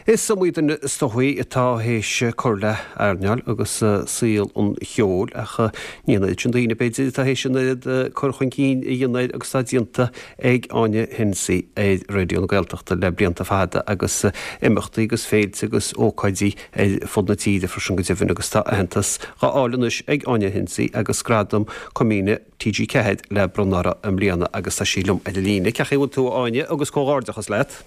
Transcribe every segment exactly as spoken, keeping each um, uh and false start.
Is iomaí duine is dóichí atá théis cur le earnáil agus saol an cheoil ach ní an oiread sin daoine b'fhéidir atá théis an oiread cur chun cinn a dhéanamh air agus atá déanta ag Áine Hennessy ar Raidió na Gaeltachta le blianta fada agus imeachtaí agus féilte agus ócáidí ar fud na tíre freisin go deimhin agus tá aitheantas á fháil anois ag Áine Hennessy agus gradam Coimíne TG Ceathair le bronnadh uirthi i mbliana agus tá sí liom ar an líne. Cén chaoi a bhfuil tú Áine agus comhghairdeachas leat.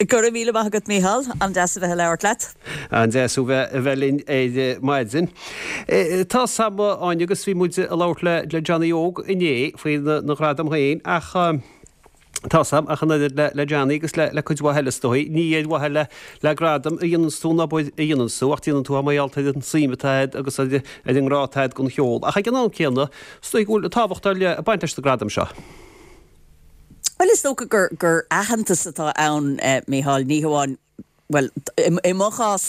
Go raibh míle maith agat Mícheál an-deas a bheith ag labhairt leat. An-deas a bheith linn ar maidin. Tá sam Áine agus bhí muid ag labhairt le le Johnny Óg inné faoi na gradaim féin ach tá sam ach an oiread le le Johnny agus le le cuid mhaith eile is dóigh. Ní ar mhaithe le le gradam a dhéanann tú an obair a dhéanann tú ach déanann tú mar gheall ar an suim atá agat agus ar ar an ngrá atá agat don cheol. Ach ag an am céanna, is dóigh go bhfuil tábhacht ar leith ag baint leis na gradaim seo. Bhuel is dócha gur gur aitheantas atá ann eh, Mícheál ní hamháin well i mo chás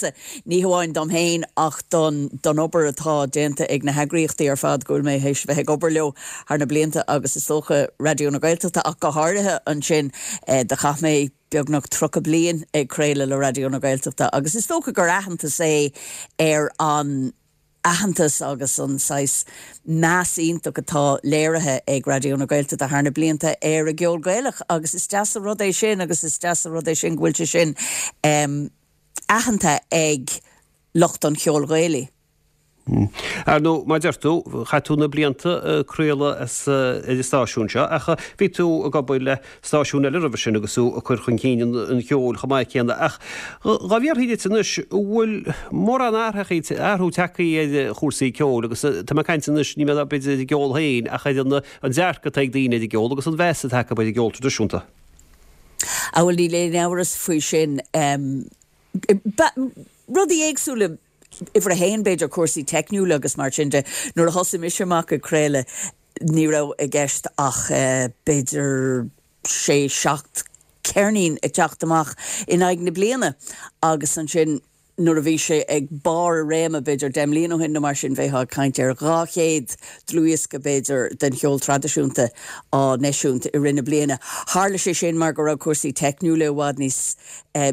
ní hamháin dom féin ach don don obair atá déanta ag na heagraíochtaí ar fad go bhfuil mé théis bheith ag obair leo thar na blianta agus is dócha Raidió na Gaeltachta ach go háirithe ansin eh, do chaith mé beagnach tríocha bliain ag craoladh le Raidió na Gaeltachta agus is dócha gur aitheantas é ar an aitheantas agus an saghas meas iontach atá léirithe ag Raidió na Gaeltachta thar na blianta ar an gceol Gaelach agus is deas an rud é sin agus is deas an rud é sin go bhfuil sé sin um, aitheanta ag lucht an cheoil Ghaelaigh. Ar ndóigh mar deir tú chaith tú na blianta ag craoladh as ar an stáisiún seo ach bhí tú ag obair le stáisiún eile roimhe sin agus tú ag cur chun cinn an cheoil chomh maith céanna ach dhá bhféadfaí duit anois bhfuil mórán athraithe athrú tagtha ar chúrsaí ceoil agus tá mé ag caint anois ní mé b'fhéidir ar an gceol féin ach ar an an dearcadh atá ag daoine ar an gceol agus an mheas atá acu ar an gceol traidisiúnta. A bhfuil níl aon amhras faoi sin um, rudaí éagsúla uimhir a haon b'fhéidir cúrsaí teicniúla agus mar sin de nuair a thosaigh mise amach ag craoladh ní raibh i gceist ach uh, b'fhéidir sé seacht ceirnín ag teacht amach in aghaidh na bliana agus ansin nuair a bhí sé ag barr a réime b'fhéidir deich mbliana ó shin nó mar sin bheifeá ag caint ar dhá chéad dlúthdhiosca b'fhéidir den cheol traidisiúnta á n-eisiúint i rith na bliana. Tharla sé sin mar go raibh cúrsaí teicniúla i bhfad níos eh,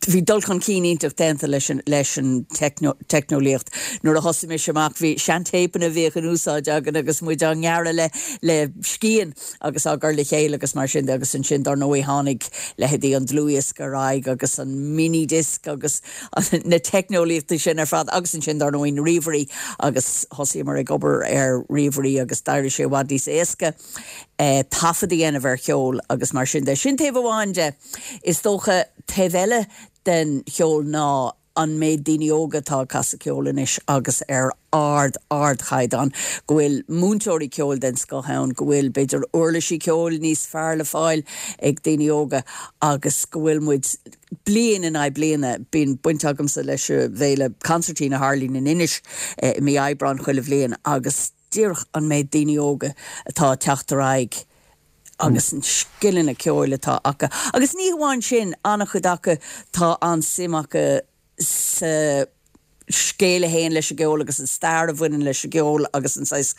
bhí dul chun cinn iontach déanta leis an leis an teicneolaíocht. Nuair a thosaigh mise amach bhí seantéipeanna a bhíodh in úsáid againn agus muid á ngearradh le le scian agus á gcur le chéile agus mar sin agus ansin dar ndóigh tháinig leithéidí an dlúthdhiosca ar aghaidh agus an minidisc agus na teicneolaíochtaí sin ar fad agus ansin dar ndóigh na ríomhairí agus thosaíomar ag obair ar ríomhairí agus d'éirigh sé i bhfad níos éasca eh, taifead a dhéanamh ar cheol agus mar sin de. Sin taobh amháin de is dócha taobh eile den cheol ná an méid daoine óga atá ag casadh ceoil anois agus ar ard ardchaighdeán go bhfuil múinteoirí ceoil den scoth ann, go bhfuil b'fhéidir uirlisí ceoil níos fearr le fáil ag daoine óga agus go bhfuil muid bliain in aghaidh bliana bíonn baint agamsa leis an bhféile Concertina a tharlaíonn in Inis eh, i mí Aibreáin chuile bhliain agus díreach an méid daoine óga atá ag teacht ar aghaidh agus an scileanna ceoil atá acu. Agus ní hamháin sin an-chuid acu tá an-suim acu sa scéal a théann leis an gceol agus an stair a bhaineann leis an gceol agus an saghas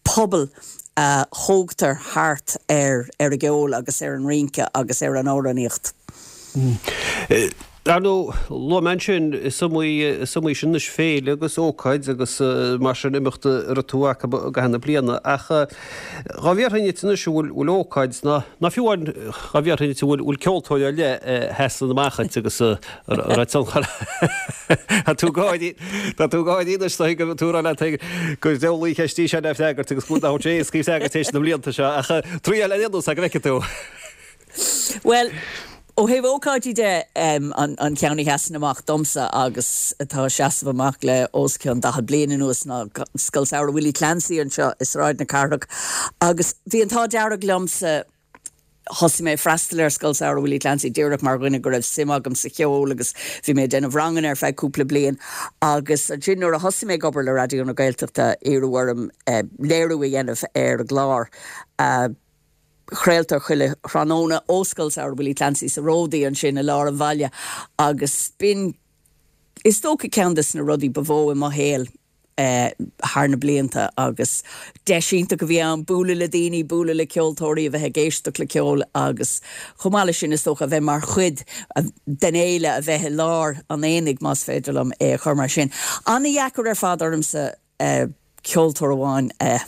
pobal a thógtar thart ar ar an gceol agus ar an rince agus ar an amhránaíocht. Ar ndóigh luaigh mé ansin is iomaí is iomaí sin anois féile agus ócáid agus mar sin imeacht a raibh tú acu i gcaitheamh na bliana ach dhá bhféadfainn duit anois an bhfuil bhfuil ócáid ná ná fiú amháin dhá bhféadfainn duit an bhfuil bhfuil ceoltóir ar leith a sheasann amach duit agus a raibh tionchar Tá tú ag gáirí Tá tú ag gáirí anois tá go tú rá leat gur deabhlaí cheist í seo le freagairt agus go bhfuil sé éasca freagairt théis na mblianta seo ach triail ar aon nós go bhfeicfidh tú. Well, ó thaobh ócáidí de um, an, an ceann a sheasann amach domsa agus atá ag seasamh amach le os cionn daichead bliain anuas ná Scoil Samhraidh Willie Clancy anseo i Sráid na Cathrach agus bhí an t-ádh dearg liomsa thosaigh mé freastal ar Scoil Samhraidh Willie Clancy díreach mar dhuine go raibh suim agam sa cheol agus bhí mé ag déanamh ranganna ar feadh cúpla bliain agus ansin nuair a thosaigh mé ag obair le Raidió na Gaeltachta iarradh orm eh, léiriú a dhéanamh ar an gclár. Uh, chraoltar chuile thráthnóna ó Scoil Samhraidh Willie Clancy sa Ródaí ansin i lár an bhaile agus b'in is dócha ceann de na rudaí ba mhó i mo shaol thar na blianta agus deis iontach a bhí ann bualadh le daoine, bualadh le ceoltóirí a bheith ag éisteacht le ceol agus chomh maith leis sin is dócha a bheith mar chuid den fhéile a bheith i lár an aonaigh más féidir liom é a chur mar sin. An-deacair ar fad ormsa ceoltóir amháin a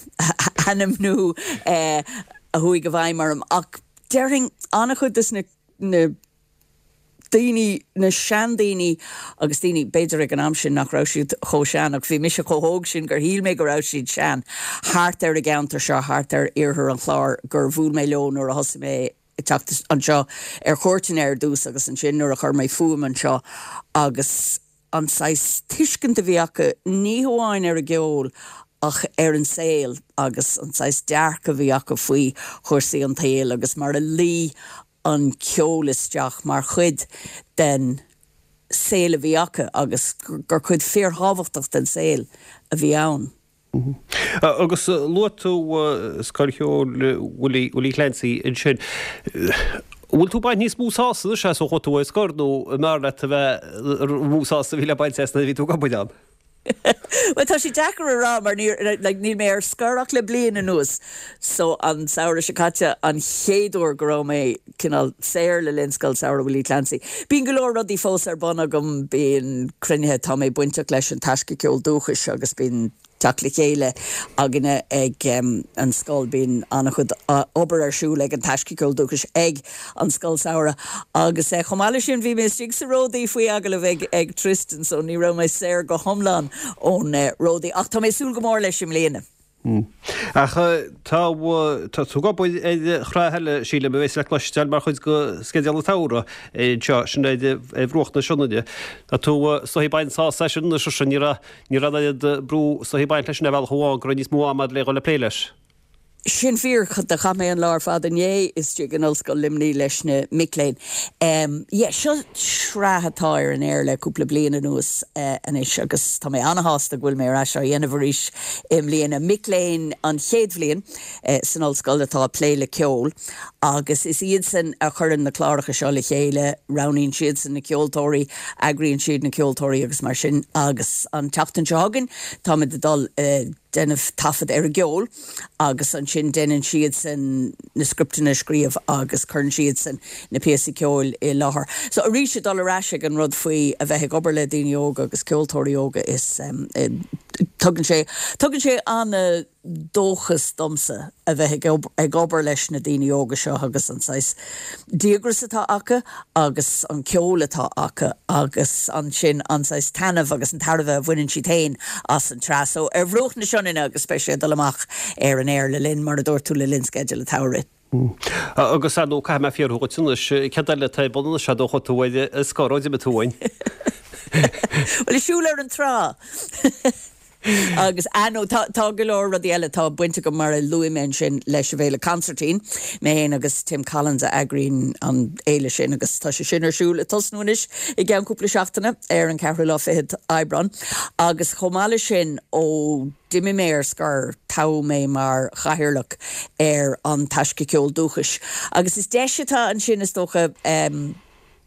ainmniú a chuaigh i bhfeidhm orm ach déarfainn an-chuid des na na daoine na seandaoine agus daoine b'fhéidir ag an am sin nach raibh siad chomh sean ach bhí mise chomh hóg sin gur shíl mé go raibh siad sean thart ar an gceantar seo thart ar iarthar an Chláir gur bhuail mé leo nuair a thosaigh mé ag teacht anseo ar cuairteanna ar dtús agus ansin nuair a chuir mé fúm anseo agus an saghas tuiscint a bhí acu ní hamháin ar an gceol ach ar an saol agus an saghas dearcadh a bhí acu faoi chúrsaí an tsaoil agus mar a luigh an ceol isteach mar chuid den saol a bhí acu agus gur cuid fíorthábhachtach den saol a bhí ann. Agus luaigh tú Scoil Cheoil Willie Willie Clancy ansin. Bhfuil tú ag baint níos mó sásamh anois as ó chuaigh tú ar scor nó an mb'fhearr leat a bheith mó sásamh a bhí le baint as nuair a bhí tú ag obair ann? Well tá sé deacair a rá mar like, níl mé ar scor ach le bliain anuas so an samhradh seo caite an chéad uair go raibh mé cineál saor le linn Scoil Samhraidh Willie Clancy. Bíonn go leor rudaí fós ar bun agam bíonn cruinnithe tá mé bainteach leis an Taisce Ceol Dúchais agus bíonn teacht le chéile againne ag um, an scoil bíonn an-chuid obair ar siúl ag an Taisce Ceol Dúchais ag an scoil samhraidh agus eh, chomh maith leis sin bhí mé istigh sa Ródaí faoi agallamh ag ag Tristan so ní raibh mé saor go hiomlán ón eh, Ródaí ach tá mé súil go mór leis i mbliana. Hmm. Ach tá tá tú ag obair ar shraith eile sílim a bheas le cloisteáil mar chuid de sceideal an tsamhraidh seo sin ar bhruach na Sionainne. Tá tú is dóichí ag baint sásamh as sin anois sin ní raibh ní raibh an oiread brú is dóichí ag baint leis sin ar bhealach amháin go raibh níos mó ama le dhul ag plé leis. Sin fíor do chaith mé an lá ar fad inné istigh in Ollscoil Luimnigh leis na mic léinn. Um, yeah, seo sraith atá ar an air le cúpla bliain anuas uh, anois agus tá mé an-sásta go bhfuil mé ar ais á dhéanamh arís i mbliana mic léinn an chéad bhliain uh, san ollscoil atá ag plé le ceol agus is iadsan a chuireann na cláracha seo le chéile, roghnaíonn siadsan na ceoltóirí, eagraíonn siad na ceoltóirí agus mar sin agus an tseachtain seo chugainn tá muid ag dul uh, déanamh taifead ar an gceol agus ansin déanann siadsan na scripteanna scríobh agus cuireann siadsan na píosaí ceoil i láthair. So arís dul ar ais ag an rud faoi a bheith ag obair le daoine óga agus ceoltóirí óga is um, tugann sé tugann sé an-dóchas domsa a bheith ag obair leis na daoine óga seo agus an saghas díograis atá acu agus an ceol atá acu agus ansin an saghas taitneamh agus an tairbhe a bhaineann siad féin as an tsraith so ar bhruach na Sionainne agus beidh sé dul amach ar an air le linn mar a dúirt tú le linn sceideal an tsamhraidh. Agus ar ndóigh caithfidh mé fiafraí díot anois céard eile atá ar bun anois ó chuaigh tú ar scor ó d'imigh tú uainn. Well is siúl ar an trá. agus anó tá tá go leor rudaí eile tá baint agam mar a luaigh mé sin leis an bhféile Concertine mé féin agus Tim Collins a eagraíonn an fhéile sin agus tá sé sin ar siúl ag tosnú anois i gceann cúpla seachtaine ar an ceathrú lá fichead Aibreán agus chomh maith leis sin ó d'imigh mé ar scor toghadh mé mar chathaoirleach ar an Taisce Ceol Dúchais agus is deis atá ansin is dócha um,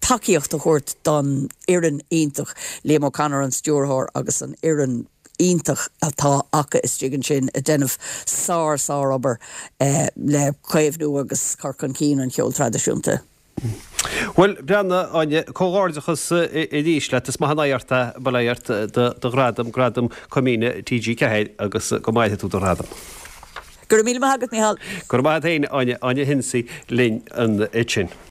tacaíocht a thabhairt don fhoireann iontach Liam O'Connor an stiúrthóir agus an fhoireann iontach atá acu istigh ansin ag déanamh sár sárobair eh, le caomhnú agus cur chun cinn an cheol traidisiúnta. Well breathnaigh Áine comhghairdeachas arís leat is maith an oidhreacht é bail ó Dhia ort do ghradam gradam Coimíne TG Ceathair agus go maire tú do ghradam. Gur mí agat Micheál. Gur maith féin Áine Áine Hensey linn ansin.